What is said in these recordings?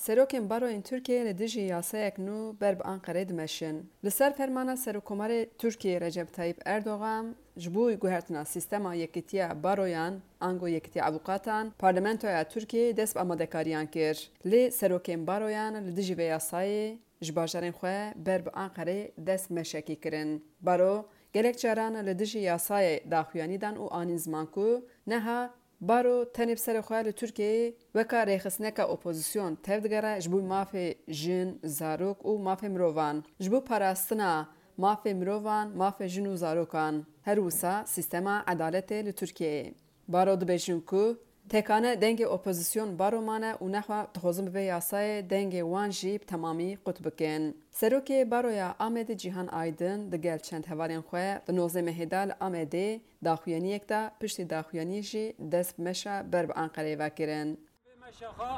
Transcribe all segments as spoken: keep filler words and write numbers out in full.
Serokên baroyên Tirkiyeyê li dijî yasayek nû ber bi Anqereyê dimeşin. Li ser fermana Serokkomarê Tirkiyeyê Recep Tayyip Erdogan, ji bo guhertina sîstema yekîtiya baroyan, ango yekîtiya avûkatan, parlamentoya Tirkiyeyê dest bi amadekariyan kir. Lê serokên baroyan li dijî vê yasayê ji bajarên xwe ber bi Anqereyê dest meşekî kirin. Baro gelek caran li dijî yasayê daxuyanî dan û anîn ziman ku neha baro tenê bi serê xwe li Tirkiyeyê weka rêxistineka opozîsyon tevdigere ji bo mafê jin, zarok û mafê mirovan, ji bo parastina mafê mirovan, mafê jin û zarokan. Her wisa sîstema edaletê li Tirkiyeyê. Baro dibêjin ku tekane dengê opozîsyon baro mane û nexwe dixwazin bi vê yasayê dengê wan jî bi temamî qut bikin. Serokê Baroya Amedê Cîhan Aydin digel çend hevalên xwe di nozdeh mehê de li Amedê daxuyaniyek de, piştî daxuyaniyê jî dest bi meşa ber bi Anqereyê ve kirin. Vê meşa xwe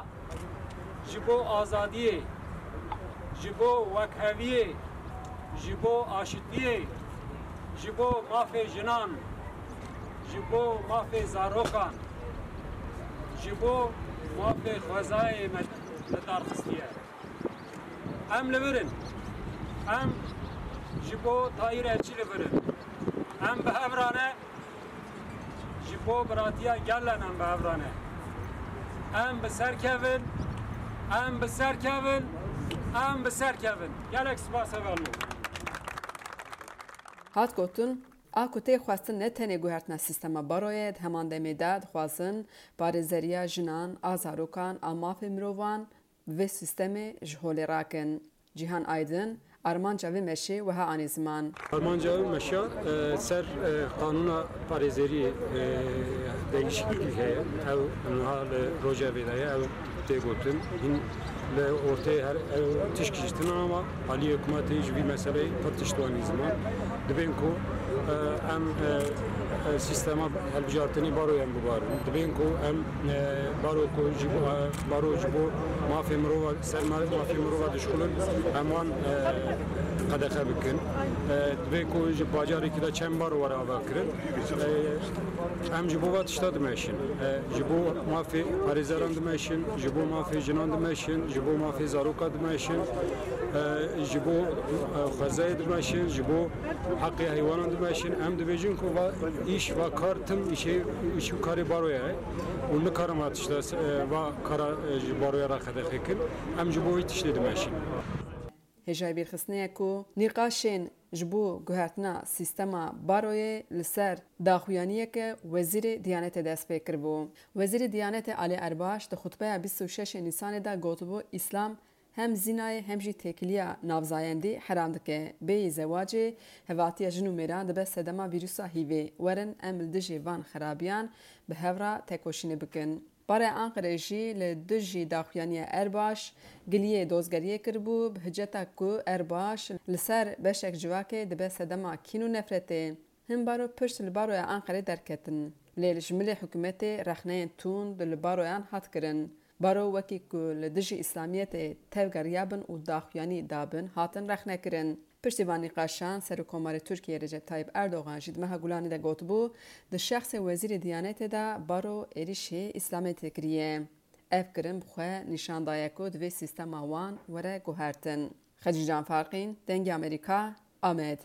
ji bo azadiyê, ji bo wekheviyê, ji bo aşitiyê, ji bo mafê jinan, ji bo mafê zarokan, ji bo mafê xwezayê me li dar xistiye. Em li vir in. Em ji bo Tahîr Elçî li vir in. Em bi hev re ne. Ji bo biratiya gel re em bi hev re ne. Em bi ser kevin, em bi ser kevin, em bi ser kevin. Gelek spas hevalno. Hat gotin, a ku tê xwestin ne tenê guhertina sîstema baroyê, di heman demê de dixwazin parêzeriya jinan, a zarokan, a mafê mirovan bi vê sîstemê ji holê rakin. Cîhan Aydin armanca vê meşê wiha anî ziman. Armanca ew meşa, e, ser, e, qanûna parêzeriyê, e, değişiklik heye. Ew niha li rojevê de ye, ew tê gotin. Hîn li ortê her ew tişk jî tune ama aliyê hikûmetê ji vî meseleyê pir tişt wanî ziman. Dibên ku, e, em, e, e, sîstema hilbijartinê baroyan bibarin. Dibên ku em, e, baro ku ji bo, e, baro ji bo mafê mirova, ser ma-, mafê mirova dişkulin, em wan, e, qedexe bikin. E, dibên ku ji bajarekî de çend baro were avakirin. E, em ji bo va tişta dimeşin. E, ji bo mafê parêzeran dimeşin, ji bo mafê jinan dimeşin, ji bo mafê zaroka dimeşin, e, ji bo, e, xwezayê dimeşin, ji bo heqê heywanan dimeşin. Em dibêjin ku va îş, va kar tim îşê, îş û karê baroya ye û nikarin va tişta, e, va kara, e, ji baroya re qedexe kin. Em ji bo wî tiştê dimeşin. Hêjayî bîrxistinê ye ku nîqaşên ji bo guhertina sîstema baroyê li ser daxuyaniyeke Wezîrê Diyanetê dest pê kiribû. Wezîrê Diyanetê Alî Erbaş di xutbeya bîst û şeş Nîsanê de gotibû, Îslam hem zînayê hem jî têkiliya navzayendî heram dike. Bêyî zewacê, hevatiya jin û mêran dibe sedema vîrusa hîvê. Werin em li dijî van xerabiyan bi hev re tekoşînê bikin. Baroya Anqerê jî li dijî daxuyaniya Erbaş giliyê dozgeriyê kiribû, bi hiceta ku Erbaş li ser beşek civakê dibe sedema kîn û nefretê. Hin baro pişt li baroya Anqerê derketin, lê li ji milê hikûmetê rexneyên tund li baroyan hat kirin. Baro wekî ku li dijî îslamiyetê tevgeriyabin û daxuyanî dabin, hatin rexnekirin. Piştî van nîqaşan, Serokkomarê Tirkiyeyê Recep Tayyip Erdogan jî di meha Gulanê de gotibû, di şexsê Wezîrê Diyanetê de baro êrîşê îslamiyetê kiriye. Ev kirin bi xwe nîşan daye ku divê sîstema wan were guhertin. Xecîcan Farqîn, Dengê Amerîka, Amed.